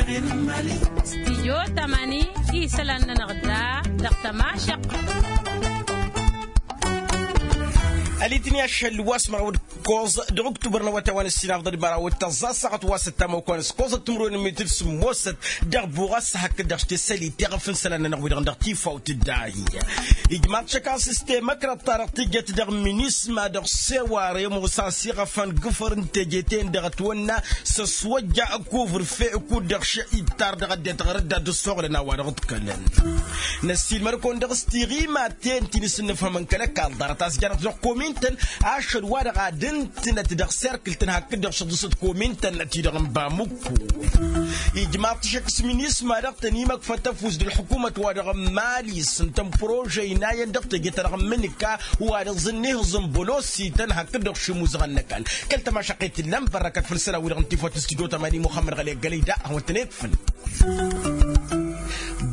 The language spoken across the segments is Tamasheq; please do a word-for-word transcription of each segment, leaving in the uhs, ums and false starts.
Stijyo tamani isălan-nănăɣ da dăɣ-tămašăq. Ălitni ašăl wa s-măraw d-kăẓ dăɣ-uktubăr n-awătay wa n-ǝssin afḍăl măraw d-tăẓẓa ăssaɣăt wa s-ăttam okăwăn s-kăẓăt timǝrwen n-mitǝl sǝmmosăt dăɣ-buɣas hakd dăɣ-s tesălit teɣăf n-isălan-nănăɣ wi-dăɣ dăɣ-tifawt d-ahi. Ijmaḍ-t šăk a-s s-temăkrăḍt-ta-dăɣ tǝjjăt dăɣ-minisma dăɣ-seware ămoos a-s iɣăfăn gǝfăr n-teje-ten-dăɣ ătwănna s-ăswăjja ăkuvǝrfe kud-dăɣ šăy ittar dăɣ-ăddinăt ɣur-dd ad-dd-ăssoɣlăn a-wa-dăɣ ǝḍkălăn. Năssiilmăd-kăwăn dăɣ-s tiɣimaten ti n-isǝnnǝfhămăn kăl-ăkall ḍarăt a-s janăt dăɣ-kominten ašăl wa-dăɣ ad-ǝntǝnăt dăɣ-serkǝl-tăn hakd-dăɣ šăḍǝsăt kominten ti-dăɣ n-bamukku. Ijmaḍ-t šăkk s-minisma-dăɣ tăn-imăkfăt ăfuss d-ălḥukumăt-wa-dăɣ n-mali s-ǝntăn prože inayăn dăɣ-teje-ta-dăɣ n-imǝnǝka wa dăɣ-zǝnnihǝẓ n-bălosităn hakd-dăɣ šimuzăɣăn n-ăkall. Kăl-tămašăqqet tǝllan bărrăkăt făll-isălan-wi-dăɣ n-tifawt s-tijot amani muxămmăd ɣăli ăggălăy da ad-hawăn-tăn-ikfǝl.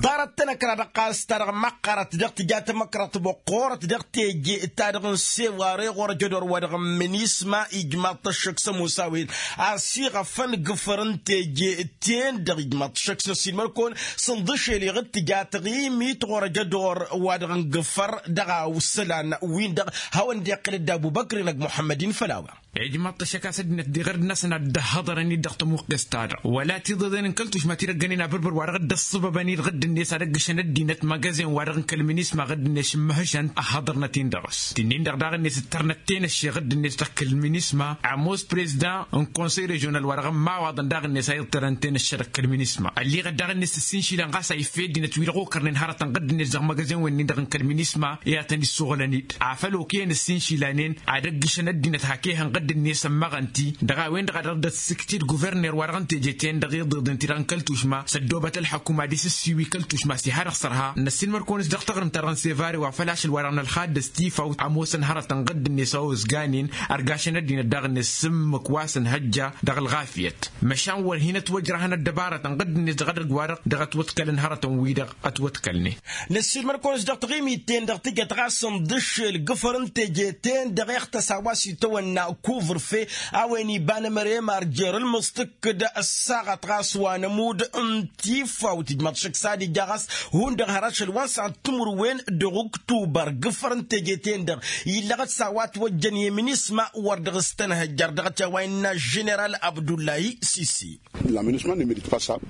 Ḍarăt-tăn ăkra dăɣ-qast-ta-dăɣ măqqărăt dăɣ-tǝja tamăkrăḍt băqqorăt dăɣ-teje-ta-dăɣ n-seware ɣur-ăjădor wa dăɣ-n minisma ijmaḍ-t ăššăk s-ămoos a-wen a-s iɣăfăn gǝfăr n-teje-ten-dăɣ ijmaḍ-t ăššăk s-năssiilmăd-kăwăn s-ǝnḍǝšel iɣǝd tǝja taɣimit ɣur-ăjădor wa dăɣ-n gǝfăr dăɣ-a isălan-win-dăɣ. Hawăn-dd-iqqǝl dd-abubăkr-in ăgg muḥămmăd-in făll-a-wa. Ijmaḍ-t ăššăk a-s ăddinăt diɣ ărd-năsăn ad-dd-ăhhăḍărăn-dd dăɣ-tămuqqest-ta-dăɣ wăla tiḍeḍen n-kăl-tušma ti-dăggănen abǝrbǝr wa dăɣ-dd-ăṣṣăbăbăn-dd ɣǝdd-net ad-ăggǝšăn ăddinăt măgăzen wa dăɣ-n kăl-minisma ɣǝdd-net šǝmmăhǝšăn ăhhăḍărnăt-in dăɣ-s tǝnnin-dăɣ daɣ-net ǝttărnăt tenăšše ɣǝdd-net dăɣ-kăl-minisma. Ămoos prezdan n-konsăy režional wa dăɣ-n imawaḍăn daɣ-net a iḍtărăn tenăšše dăɣ-kăl-minisma ălliɣăt daɣ-net s-ǝssinšilăn ɣas a iffed ăddinăt wi-dăɣ okărnen hărătăn ɣǝdd-net dăɣ-măgăzen-wen-in-dăɣ n-kăl-minisma i-ad-tăn-issoɣlăn-dd afăl okăyăn ǝssinšilăn-en ad-ăggǝšăn ăddinăt hak ehăn ɣǝdd-net ămmăɣăn-t-i dăɣ-a-wen-dăɣ a dăɣ-dd-ăssǝkt-dd guverner wa dăɣ-n teje-ten-dăɣ iḍeḍen ti-dăɣ n-kăl-tušma s-ăddoobăt ălḥăkum ad-isǝssiwi kăl-tušma s-iha dăɣ-sărha. Năssiilmăr-kăwăn-s dăɣ-taɣrǝmt-ta-dăɣ n-sevare wa făl ašăl wa dăɣ-nălxadd s-tifawt ămoosăn hărătăn ɣǝdd-net a ozganen ărgašăn ăddinăt daɣ-net s-ǝmmǝk wa s-ănhăjja dăɣ-ălɣafyăt măšan wăr hin-ătwăjrăhăn ăddăbarătăn ɣǝdd-net dăɣ-edăgg-wa-dăɣ dăɣ-ătwăḍkălăn hărătăn-wi-dăɣ ătwăḍkălnen. Năssiilmăd-kăwăn-s dăɣ-taɣimit-ten-dăɣ tǝjăt ɣas ǝnḍǝššel gǝfăr n-teje-ten-dăɣ iɣtăs a-wa s-itawănna kuvǝrfe a-wen iba n-emăre marjer ǝlmǝẓ tǝkkǝd ăssaɣăt ɣas wa n-ămudd n-tifawt ijmaḍ šăkk s-ad-ija ɣas hundăɣ har ašăl wa n-săɣăt timǝrwen dăɣ-uktubăr gǝfăr n-teje-ten-dăɣ illăɣăt s-a-wa ătwăjjăn i-minisma wăr dăɣ-s tănhăjjăr dăɣ-t i-a-wa innă ženeral abdullahi sisi.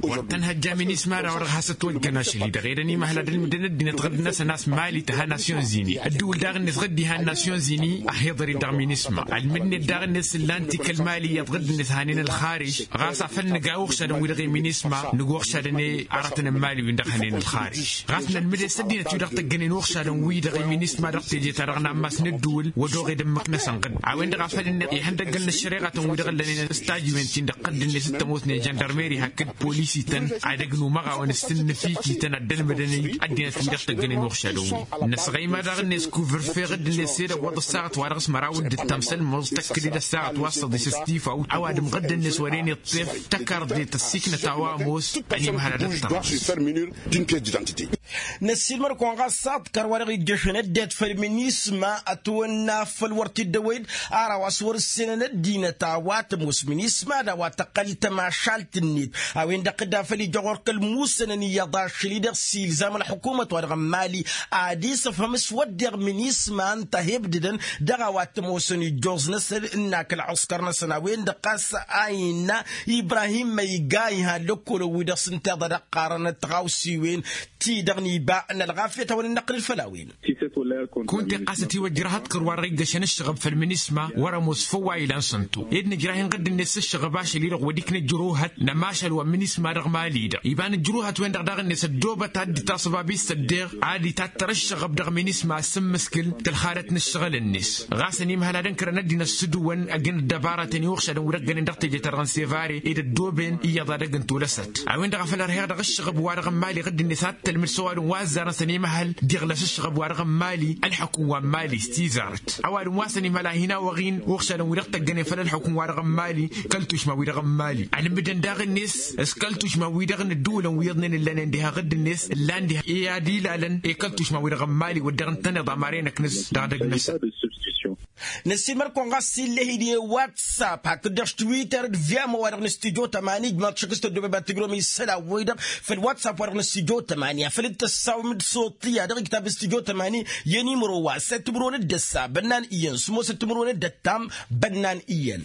Wăr tăn-hăjja minisma-da-wa-dăɣ has-ătwăjjăn ašăl-i-dăɣ ed ănimăhăl ad-ǝlmǝdăn ăddinăt ɣǝrd-năsăn a-s mali tǝha nasyon zini ăddǝwǝl daɣ-net ɣǝdd-iha n-nasyon zini ăhiḍăr-dd dăɣ-minisma ălmǝdnet daɣ-net s-ǝllan-t i-kăl-mali iyyăḍ ɣǝdd-net hanen ălxarij. Ɣas afăl nǝga uɣšadăn-wi-dăɣ i-minisma nǝga uɣšadăn i-aratăn n-mali-win-dăɣ hănen ălxarij. Ɣas nălmǝd-e s-ăddinăt-wi-dăɣ tăggănen uɣšadăn-wi-dăɣ i-minisma dăɣ-teje-ta-dăɣ n-ammas n-ǝddǝwǝl wăr dăɣ-e d-ǝmmǝk-năsăn ɣǝdd a-wen-dăɣ a făl ǝnneɣ ihăndăggăl n-ăššăreɣatăn-wi-dăɣ ǝllănen s-tajǝwen-tin-dăɣ ɣǝdd-net t-ămoosnen žăndărmeri hakd polis-ităn ad-ăgg număɣawăn s-tǝnnǝf-i t-ităn ad-dd-ălmǝdăn-dd ăddinăt-wi-dăɣ tăggănen uɣšadăn-wi. Năsɣăyma daɣ-net kuvǝrfe ɣǝdd-net s-ed ăwwăḍ ăssaɣăt-wa-dăɣ s-măraw d-ǝttăm s-ălmăẓ tăkk-dd ăssaɣăt wa s-săḍis s-tifawt ăwadǝm ɣǝdd-net wăren iṭṭef tăkarḍe tăssiknăt a-wa ămoos ănimhăl ad-ăttăr. Năssiilmăd-kăwăn ɣas s-aḍkăr wa dăɣ-ijjăšăn ăddinăt făll-minisma ătwănna făll-wăr t-dd-ăwăy-dd ar a-wa s-wăr-ǝssenăn ăddinăt a-wa tămoos minisma d-a-wa tăqqăl tămašalt-net. A-wen-dăɣ tǝdda făll-ija ɣur-kăl-musănăn iyyăḍ ašăl-i-dăɣ s-ilzam ălḥukumăt-wa-dăɣ n-mali ad-isǝfhăm s-wădden minisma ǝnta a he-ǝbdǝdăn dăɣ-a-wa t-ămoosăn ijjoẓ-năsăn ǝnn'-ak ălɣǝskăr-năsăn a-wen-dăɣ ɣas a innă ibrahim măyga iha ăllăkkolăn-wi-dăɣ s-ǝnta iḍa d-ăqqarăn tiɣawsiwen-ti-dăɣ n-iba n-ălɣafyăt a-wen dd-năqqǝl făll-a-wen. Kunta iqqas ătiwăjjăr ahăḍkăr wa dăɣ-iggăšăn ǝššăɣăb făll-minisma wăr-ămoos făw wa ilan săntu ed nǝjrah-in ɣǝdd-net s-ǝššăɣăb ašăl-i-dăɣ wăr dd-ikna ǝjruhăt n-ămašal wa n-minisma dăɣ-mali-dăɣ iba n-ǝjruhăt-wen-dăɣ daɣ-net ăddoobăt ad-dd-itaṣăb abis s-ăddeɣ ad-itattăr ǝššăɣăb dăɣ-minisma a ǝssǝmmǝskǝl tălxadăt n-ǝššăɣǝl-net. Ɣas ănimhăl ad-ǝnkărăn ăddinăt s-ǝdǝwăn ăgg n-ăddăbaratăn i-uɣšadăn wi-dăɣ gănen dăɣ-teje-ta-dăɣ n-sevare ed ăddooben iyyăḍ ad-ăgg n-tolăsăt. A-wen-dăɣ a făl ărheɣ dăɣ-ǝššăɣăb-wa-dăɣ n-mali ɣǝdd-net ad-tălmǝd s-ăwadǝm wa ăzzarăn s-ănimhăl diɣlăs ǝššăɣăb-wa-dăɣ n-mali ălḥăkum wa n-mali s-tizarăt. Ăwadǝm wa s-ănimhăl a hin-awăɣ-in uɣšadăn-wi-dăɣ tăggănen făll-ălḥăkum-wa-dăɣ n-mali kăl-tušma-wi-dăɣ n-mali ălmǝdăn daɣ-net s-kăl-tušma-wi-dăɣ n-ǝddǝwǝlăn wi iyyăḍnen ǝllănen diha ɣǝdd-net ǝllan diha i-ad-ilalăn i-kăl-tušma-wi-dăɣ n-mali wăr dăɣ-ǝntăneḍ amar-enăknǝs dăɣ-edăgg-năsăn. Năssiilmăr-kăwăn ɣas illăh-dd i-whatsapp hakd-dăɣ s-twitter d-viyam wa-dăɣ n-studyo tămani ǝjmaḍ šăkk s-tăddoobăy ba tǝjrǝwăm isălan-wi-dăɣ. Făll-whatsapp wa-dăɣ n-studyo tămani afăl dd-tăssawăm d-soḍt tiyyăḍ dăɣ-iktab n-studyo tămani. I-ănimăro wa săt timǝrwen d-ăssa bănnan iyyăn sămoosăt timǝrwen d-ăttam bănnan iyyăn.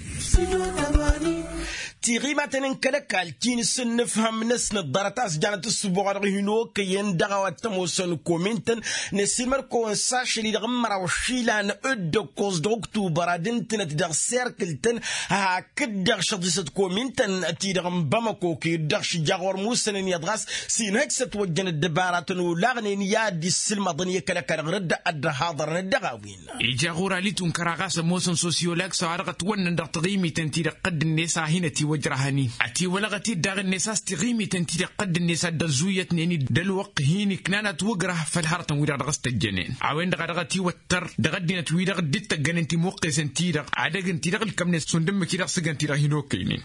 Tiɣimaten n-kăl-ăkall ti n-asǝnnǝfhăm-năsnăt ḍarăt a-s janăt ǝssǝboɣ wa dăɣ-hin-okăyăn dăɣ-a-wa t-ămoosăn komintăn. Năssiilmăr-kăwăn s-ašăl-i-dăɣ n-măraw išilan d-ăkkoẓ dăɣ-uktubăr ad-ǝntǝnăt dăɣ-serkǝl-tăn hakd-dăɣ šăḍisăt komintăn-ti-dăɣ n-bamăko kăy-dd-dăɣ šǝjjaɣ wăr musănăn iyyăḍ ɣas s-inhăj s-ătwăjjăn ăddăbaratăn olaɣnen i-ad-dd-issǝlmăḍăn i-kăl-ăkall ɣur-dd ad-dd-ăhaḍărnăt dăɣ-a-wen. Ija ɣur-ali tunkăra ɣas ămoosăn sosyolak s-a-wa dăɣ-ătwănnăn dăɣ-taɣimiten-ti-dăɣ tădd-net a hin-ătiwăjrăhăn-in ătiwălăɣăt-dd daɣ-net a-s taɣimiten-ti-dăɣ tădd-net a dd-ăzzuyătnen-dd d-ălwăqq hin-iknan ătwǝgrăh făll-hărătăn-wi-dăɣ dăɣ-s tăjjănen. A-wen-dăɣ a dăɣ-ătiwăttăr dăɣ-ăddinăt-wi-dăɣ dd-tăggănen timuqqesen-ti-dăɣ ad-ăgg ǝnta-i-dăɣ ǝlkămnen šund ǝmmǝk-i-dăɣ s-ǝggăn-t-i-dăɣ hin-okăynen.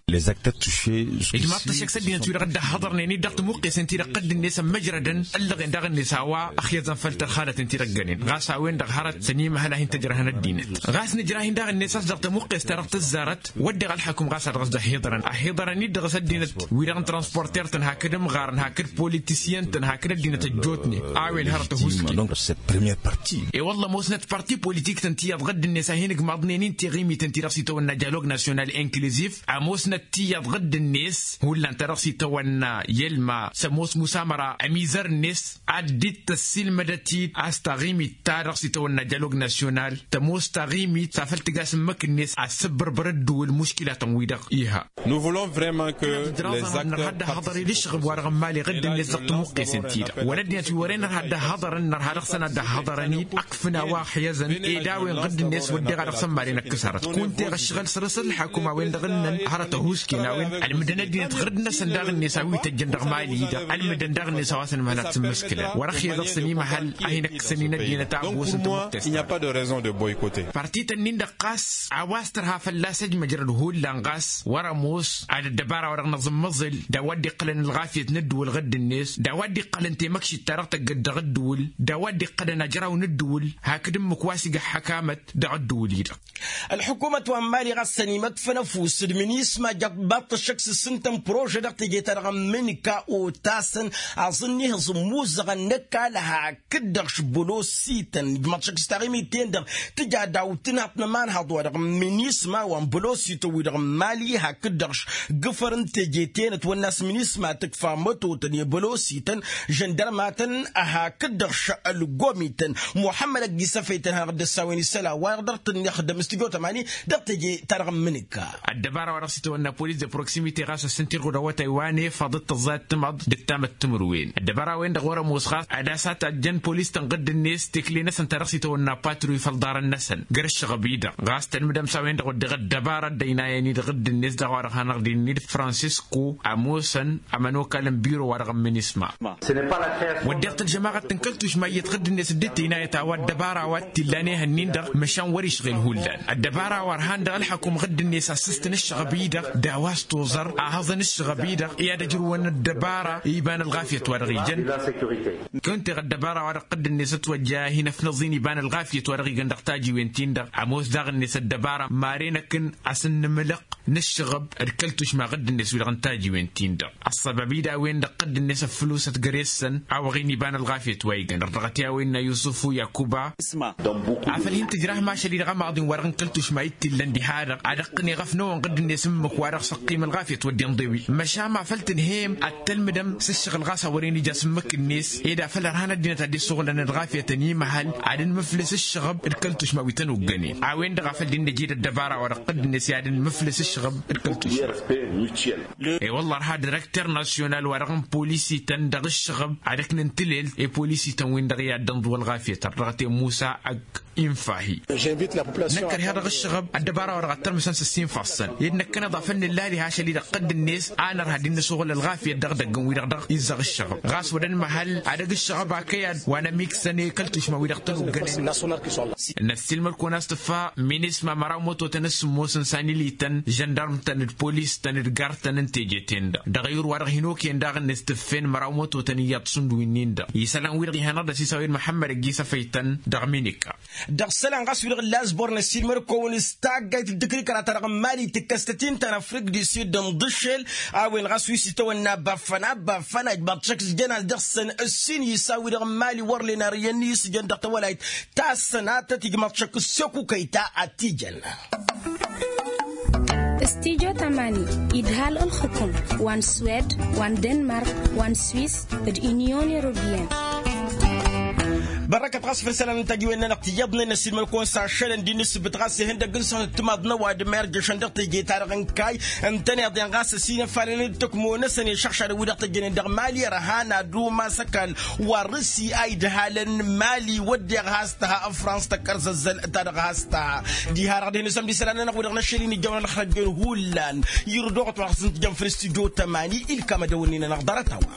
Ijmaḍ-t ăššăk s-ăddinăt-wi-dăɣ dd-ăhhăḍărnen-dd dăɣ-timuqqesen-ti-dăɣ tădd-net ămmăjrădăn ăllăɣen daɣ-net a-wa ăxyăẓăn făll-tărxalăten ti-dăɣ ǝggănen ɣas a-wen-dăɣ hărăt s-ănimăhăl a hin-tăjrăhăn ăddinăt. Ɣas nǝjrah-in daɣ-net a-s dăɣ-tămuqqest-ta-dăɣ tǝzzarăt wădden ălxăkum ɣas a dăɣ-s dd-ăhhiḍărăn ăhhiḍărăn-dd dăɣ-s ăddinăt-wi-dăɣ n-transporter-tăn hakd ǝmɣarăn hakd politisyăn-tăn hakd ăddinăt ăjjootnen. A-wen hărăt ăhuusken. E-wălla ămoosnăt parti politik-tăn tiyyăḍ ɣǝdd-net a hin-ǝgmaḍnen-in tiɣimiten-ti-dăɣ s-itawănna dialog nasyonal inkluziv. Ămoosnăt tiyyăḍ ɣǝdd-net hullan ta dăɣ-s itawănna i-ălma s-ămoos musamăra ămizăr-net ad-dd-tăssiilmădăt-dd a-s taɣimit ta dăɣ-s itawănna dialog nasyonal tămoos taɣimit s-afăl tǝga s-ǝmmǝk-net ad-sǝbbărbăr ăddǝwǝl muškilatăn-wi-dăɣ iha. Nărha dd-ăhhăḍăr-dd ǝššăɣǝb wa dăɣ-ămmali ɣǝdd-net dăɣ-tămuqqesen-ti-dăɣ wăla ăddinăt wi wăren nărha dd-ăhhăḍărăn nărha dăɣ-săn ad-dd-ăhhăḍărăn-dd ǝkfǝn a-wa ăxyăzăn ed a-wen ɣǝdd-net wădden a dăɣ-săn maren ăkkăs hărăt kunta eɣ ǝššăɣǝl săr-s ălxakum a-wen-dăɣ ǝnnăn hărăt ăhuusken a-wen ălmǝdăn ăddinăt ɣǝrǝd-năsăn daɣ-net a-wi tăjjăn dăɣ-mali-dăɣ ălmǝdăn daɣ-net a-wa s-ănmăhăl ad-sǝmmǝskǝlăn wăr-ăxyăẓ a-s ănimăhăl a hin-ăkkăsăn-in ăddinăt a ăbosăn tămuqqest. Partităn-nin-dăɣ ɣas a-wa s-tărha fălla-s ăjmăjrăd hullan ɣas wăr-ămoos ad-ăddăbara wa dăɣ-năẓǝmmăẓǝl d-a-wa dd-iqqălăn ălɣafyăt n-ăddǝwǝl ɣǝdd-net d-a-wa dd-iqqălăn temăkšit-ta-dăɣ tăggăd dăɣ-ăddǝwǝl d-a-wa dd-iqqălăn ajraw n-ăddǝwǝl hakd ǝmmǝk wa s-iga ăḥḥăkamăt dăɣ-ăddǝwǝl-i-dăɣ. Ălḥukumăt wa n-mali ɣas ănimăkfăn ăfuss d-minisma jăbbaḍ-t ăššăk s-ǝssǝntăn prože dăɣ-teje-ta-dăɣ n-imǝnǝka otasăn aẓǝnni hǝẓǝmmuzăɣăn n-ăkall hakd-dăɣ š-bălosităn ǝjmăḍ šăkk s-taɣimit-ten-dăɣ tǝja daw-tǝnhaḍt n-ămanhaḍ-wa-dăɣ n-minisma wa n-bălosităn-wi-dăɣ n-mali hakd-dăɣ š-gǝfăr n-teje-ten ătwănna s-minisma tǝkfa mătotăn i-bălosităn žăndărmatăn hakd-dăɣ š-ălgomităn. Muḥămmăd ăgg-isăfăytăn hanăɣ-dd-ăssawen isălan-wa-dăɣ dăɣ-tǝnnixdăm s-tǝjo tămani dăɣ-teje-ta-dăɣ n-imǝnǝka. Ăddăbara wa dăɣ-s itawănna polis de proximite ɣas ăssintăr ɣur-awătay wa n-efăḍ d-tăẓẓayăt timăḍ d-ǝttamăt timǝrwen ăddăbara-wen-dăɣ wăr-ămoos ɣas ad-asătajjăn polis-tăn ɣǝdd-net tekle-năsăn ta dăɣ-s itawănna patruy făll-iḍarăn-năsăn găr-ǝššăɣăb-i-dăɣ ɣas tălmǝdăm s-a-wen-dăɣ wădden ăddăbara ăddăynayăn-i-dăɣ ɣǝdd-net daɣ wa dăɣ-hanăɣ-dd-innă-dd francisco ămoosăn ămănokal n-biro-wa-dăɣ n-minisma. Wădden-t ălžămaɣăt n-kăl-tušma iyyăt ɣǝdd-net dd-tăynayăt a-wa ăddăbara wa t-illan ehăn-in-dăɣ măšan wăr-i ǝšɣel hullan ăddăbara wa ărhan dăɣ-ălḥăkum ɣǝdd-net a ǝssǝstăn ǝššăɣăb-i-dăɣ d-a-wa s-toẓăr a hăẓăn ǝššăɣăb-i-dăɣ i-ad-ăjrǝwăn ăddăbara iba n-ălɣafyăt wa dăɣ-ijăn. Kăwăn-teɣ ăddăbara wa dăɣ-ɣǝdd-net ătwăjja a hin-ăfnăẓ-in iba n-ălɣafyăt wa dăɣ-ijăn dăɣ-tajiwen-tin-dăɣ ămoos daɣ-net ăddăbara maren akǝn a-s ǝnnǝmlăq n-ǝššăɣăb d-kăl-tušma ɣǝdd-net wi-dăɣ n-tajiwen-tin-dăɣ. Ăṣṣăbab-i d-a-wen-dăɣ ɣǝdd-net ăffǝlosăt găre-săn a-wa ɣin iba n-ălɣafyăt wa igăn ărdăɣăt i-a-wen n-a yusufu yakuba. Afăl hin-tǝjrah mašăl-i-dăɣ ămaḍin-wa-dăɣ n-kăl-tušma i t-illăn diha-dăɣ ad-ăqqǝn eɣăf n-ewăn ɣǝdd-net ǝmmǝk-wa-dăɣ s-ăqqim ălɣafyăt wădden ḍewi măšan afăl tǝnhăyăm ad-tălmǝdăm s-ǝššăɣǝl ɣas a wăren ija s-ǝmmǝk-net ed afăl ărhan ăddinăt ad-dd-isuɣǝlăn ălɣafyăt ănimăhăl ad-nǝmǝflǝs ǝššăɣăb d-kăl-tušma wi tăn-uggănen. A-wen-dăɣ afăl dd-nǝjed ăddăbara-wa-dăɣ ɣǝdd-net i-ad-nǝmǝflǝs ǝššăɣăb d-kăl-tušma. E-wălla ărha direkter nasyonal-wa-dăɣ n-polisităn dăɣ-ǝššăɣăb ad-ǝknǝn tǝlelt i-polisităn-win-dăɣ i-ad-dănḍǝw ălɣafyăt ărdăɣăt i-musa ăgg-infahi. Năkk ărheɣ dăɣ-ǝššăɣăb ăddăbara-wa-dăɣ ad-tărmǝsăn s-ǝssinfăẓ-săn ed năkkăneḍ afăl nǝllali hašăl-i-dăɣ ɣǝdd-net a nărha ad-dd-nǝsuɣǝl ălɣafyăt dăɣ-idăgg-win-dăɣ dăɣ-izzaɣ ǝššăɣăb ɣas wăr-ănmăhăl ad-ăgg ǝššăɣăb akăyad wa n-ămiksăn i-kăl-tušma-wi-dăɣ tăn-uggănen. Năssiilmăd-kăwăn a-s tǝffa minisma măraw mătotăn s-sǝmmosăn s-anilităn žăndarm-tăn d-polis-tăn d-gar-tăn n-teje-ten-dăɣ dăɣ-ayǝr wa-dăɣ hin-okăyăn daɣ-net tǝffen măraw mătotăn iyyăḍ šund wi-nin-dăɣ isălan-wi-dăɣ ihănăɣ-dd ăsisawed măḥămmăd ăgg-isăfăy-tăn dăɣ-minika. Dăɣ-isălan ɣas wi-dăɣ n-lazbor n-ăssiilmăd-kăwăn s-taggayt d-ǝkrikăra-ta-dăɣ n-mali tǝkkăs-tăt-in ta n-afrik di sid n-iḍǝššel. A-wen ɣas wi s-itawănna băffăn a băffăn a ijmaḍ-t šăkk s-jăn-as dăɣ-săn ǝssin isa-wi-dăɣ n-mali wăr len arǝyăn n-isǝjăn dăɣ-tawălayt ta s-sănatăt ijmaḍ-t šăkk s-sekuka i-ta ad-t-ijăn. Studio tamani idhal ǝlxǝkum wa n-swed wa n-denmark wa n-swis d-unyon europeyăn. Bărrăkăt ɣas făll-isălan n-tajiwen n-anăɣ tiyyăḍnen n-ăssiilmăl-kăwăn s-ašălăn d-inǝsbǝt ɣas ihăndăg n-sănăt timaḍ n-ăwadǝm a irjăšăn dăɣ-teje-ta-dăɣ n-kayy ǝntăneḍ-en ɣas ăsinăfalăn d-tăkmo-năsăn i-išăɣšadăn wi-dăɣ tăjjănen dăɣ-mali ărhan ad-umas ăkall wa n-rǝsi a idhalăn mali wădden has-tăha ăfrans tăkkărzăzzăl ta-dăɣ has-tăha. Diha-dăɣ dehăn isămd isălan-nănăɣ wi-dăɣ n-ašăl-in ijjăwăn ălxăjjăn hullan irdoɣăt wa dăɣ-săn tǝjjăn făll-studio tămani ilkam ad-ăwănnin-anăɣ ḍarăt-a-wa.